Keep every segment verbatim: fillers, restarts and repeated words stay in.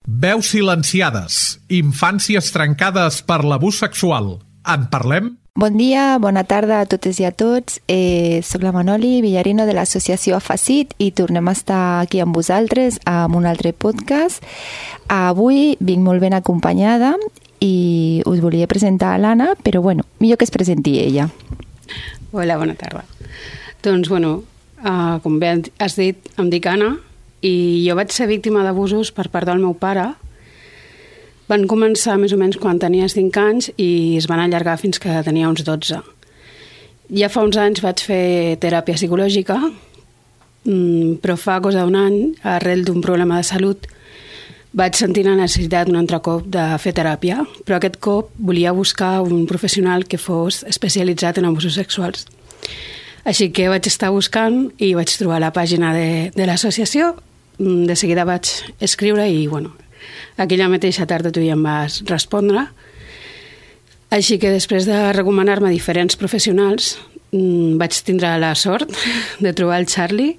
Veus silenciades, infàncies trencades per l'abús sexual. En parlem? Bon dia, bona tarda a totes i a tots. Eh, soc la Manoli Villarino de l'associació Afacit i tornem a estar aquí amb vosaltres amb un altre podcast. Avui vinc molt ben acompanyada i us volia presentar a l'Anna, però bueno, millor que es presenti ella. Hola, bona tarda. Doncs, bueno, uh, com bé has dit, em dic Anna i jo vaig ser víctima d'abusos per part del meu pare. Van començar més o menys quan tenia cinc anys i es van allargar fins que tenia uns dotze. Ja fa uns anys vaig fer teràpia psicològica, però fa cosa d'un any, arrel d'un problema de salut, vaig sentir la necessitat un altre cop de fer teràpia, però aquest cop volia buscar un professional que fos especialitzat en abusos sexuals. Així que vaig estar buscant i vaig trobar la pàgina de, de l'associació. De seguida vaig escriure i, bueno, aquella mateixa tarda tu ja em vas respondre. Així que després de recomanar-me diferents professionals vaig tindre la sort de trobar el Charlie.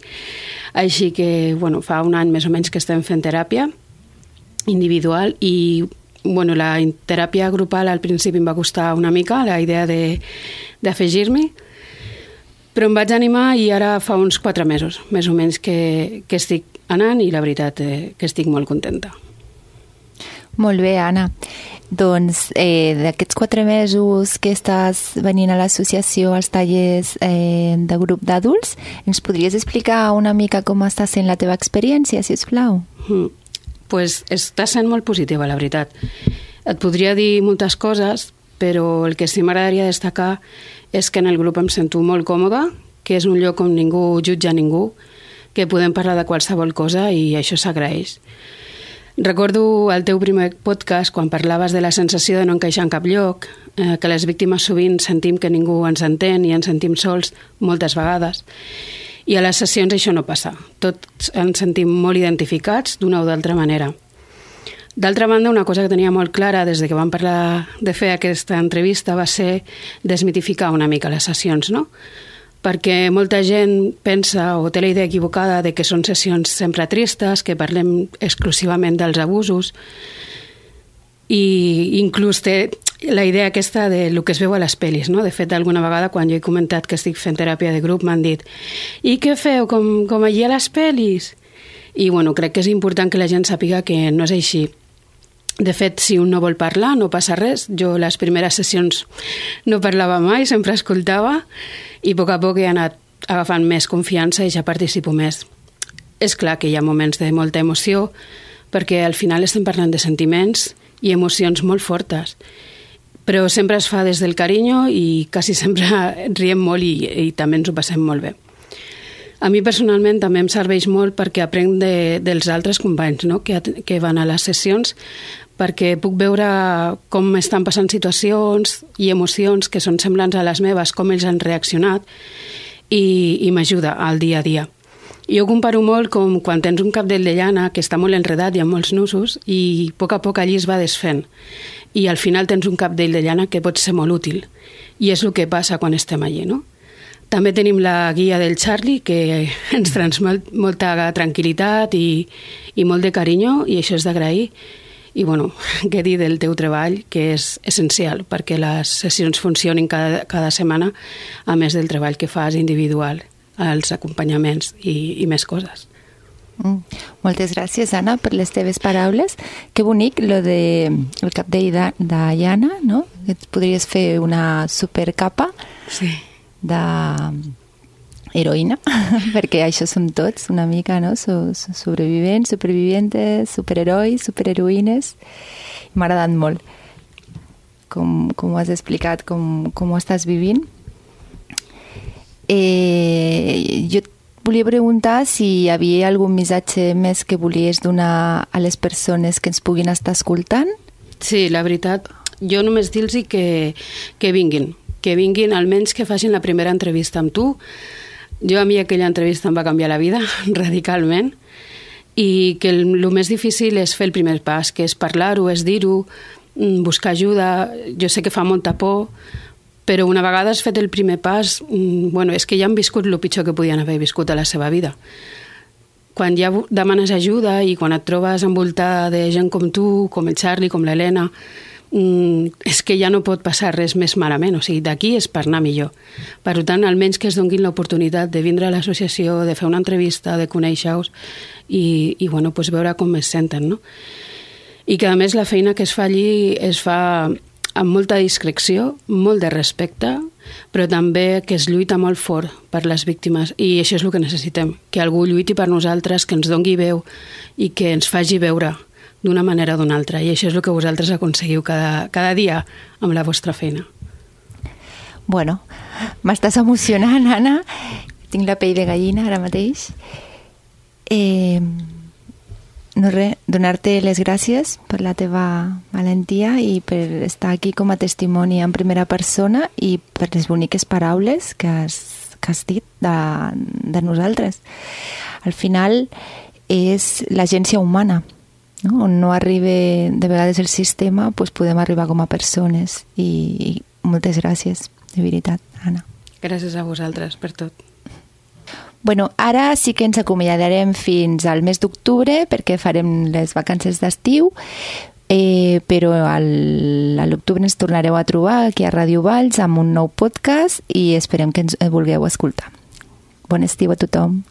Així que, bueno, fa un any més o menys que estem fent teràpia individual i, bueno, la teràpia grupal al principi em va costar una mica la idea de, d'afegir-m'hi, però em vaig animar i ara fa uns quatre mesos, més o menys, que, que estic anant i la veritat eh, que estic molt contenta. Molt bé, Anna. Doncs eh, d'aquests quatre mesos que estàs venint a l'associació als tallers eh, de grup d'adults, ens podries explicar una mica com està sent la teva experiència, si us plau? Mm. Pues està sent molt positiva, la veritat. Et podria dir moltes coses, però el que sí m'agradaria destacar és que en el grup em sento molt còmoda, que és un lloc on ningú jutja ningú, que podem parlar de qualsevol cosa i això s'agraeix. Recordo el teu primer podcast quan parlaves de la sensació de no encaixar en cap lloc, eh, que les víctimes sovint sentim que ningú ens entén i ens sentim sols moltes vegades. I a les sessions això no passa. Tots ens sentim molt identificats d'una o d'altra manera. D'altra banda, una cosa que tenia molt clara des de que vam parlar de fer aquesta entrevista va ser desmitificar una mica les sessions, no? Perquè molta gent pensa o té la idea equivocada de que són sessions sempre tristes, que parlem exclusivament dels abusos, i inclús té la idea aquesta de lo que es veu a les pel·lis, no? De fet, alguna vegada quan jo he comentat que estic fent teràpia de grup m'han dit «I què feu, com, com allí a les pel·lis?» I bueno, crec que és important que la gent sàpiga que no és així. De fet, si un no vol parlar, no passa res. Jo les primeres sessions no parlava mai, sempre escoltava i a poc a poc he anat agafant més confiança i ja participo més. És clar que hi ha moments de molta emoció perquè al final estem parlant de sentiments i emocions molt fortes, però sempre es fa des del carinyo i quasi sempre riem molt i, i també ens ho passem molt bé. A mi personalment també em serveix molt perquè aprenc de, dels altres companys, no? que, que van a les sessions, perquè puc veure com estan passant situacions i emocions que són semblants a les meves, com ells han reaccionat i, i m'ajuda al dia a dia. Jo comparo molt com quan tens un cabdell de llana que està molt enredat i amb molts nusos i a poc a poc allí es va desfent i al final tens un cabdell de llana que pot ser molt útil i és el que passa quan estem allí, no? També tenim la guia del Charlie que ens transmet molta tranquil·litat i, i molt de carinyo i això és d'agrair. I bueno, què dir del teu treball, que és essencial perquè les sessions funcionin cada, cada setmana, a més del treball que fas individual, els acompanyaments i, i més coses. Mm. Moltes gràcies, Anna, per les teves paraules. Que bonic, lo de el cabdell de, de llana, no? Que et podries fer una supercapa sí. de heroïna, perquè això som tots una mica, no? So, so sobrevivents, supervivientes, superherois, superheroïnes. M'ha agradat molt com, com ho has explicat, com, com ho estàs vivint. Eh, jo et volia preguntar si hi havia algun missatge més que volies donar a les persones que ens puguin estar escoltant. Sí, la veritat, jo només dir-los que, que vinguin, que vinguin, almenys que facin la primera entrevista amb tu. Jo a mi aquella entrevista em va canviar la vida radicalment i que el, el més difícil és fer el primer pas, que és parlar-ho, és dir-ho, buscar ajuda. Jo sé que fa molta por, però una vegada has fet el primer pas, bueno, és que ja han viscut el pitjor que podien haver viscut a la seva vida. quan ja demanes ajuda i quan et trobes envoltada de gent com tu, com el Charlie, com l'Helena, mm, és que ja no pot passar res més malament. O sigui, d'aquí és per anar millor. Per tant, almenys que es donguin l'oportunitat de vindre a l'associació, de fer una entrevista, de conèixer-vos i, i bueno, pues veure com es senten, no? I que, a més, la feina que es fa allí es fa amb molta discreció, molt de respecte, però també que es lluita molt fort per les víctimes. I això és el que necessitem, que algú lluiti per nosaltres, que ens dongui veu i que ens faci veure d'una manera o d'una altra. I això és el que vosaltres aconseguiu cada, cada dia amb la vostra feina. Bueno, m'estàs emocionant, Anna. Tinc la pell de gallina ara mateix. Eh... No res, donar-te les gràcies per la teva valentia i per estar aquí com a testimoni en primera persona i per les boniques paraules que has, que has dit de, de nosaltres. Al final és l'agència humana, no? On no arriba de vegades el sistema, doncs podem arribar com a persones i, i moltes gràcies, de veritat, Anna. Gràcies a vosaltres per tot. Bueno, ara sí que ens acomiadarem fins al mes d'octubre perquè farem les vacances d'estiu, eh, però al, a l'octubre ens tornareu a trobar aquí a Ràdio Valls amb un nou podcast i esperem que ens vulgueu escoltar. Bon estiu a tothom.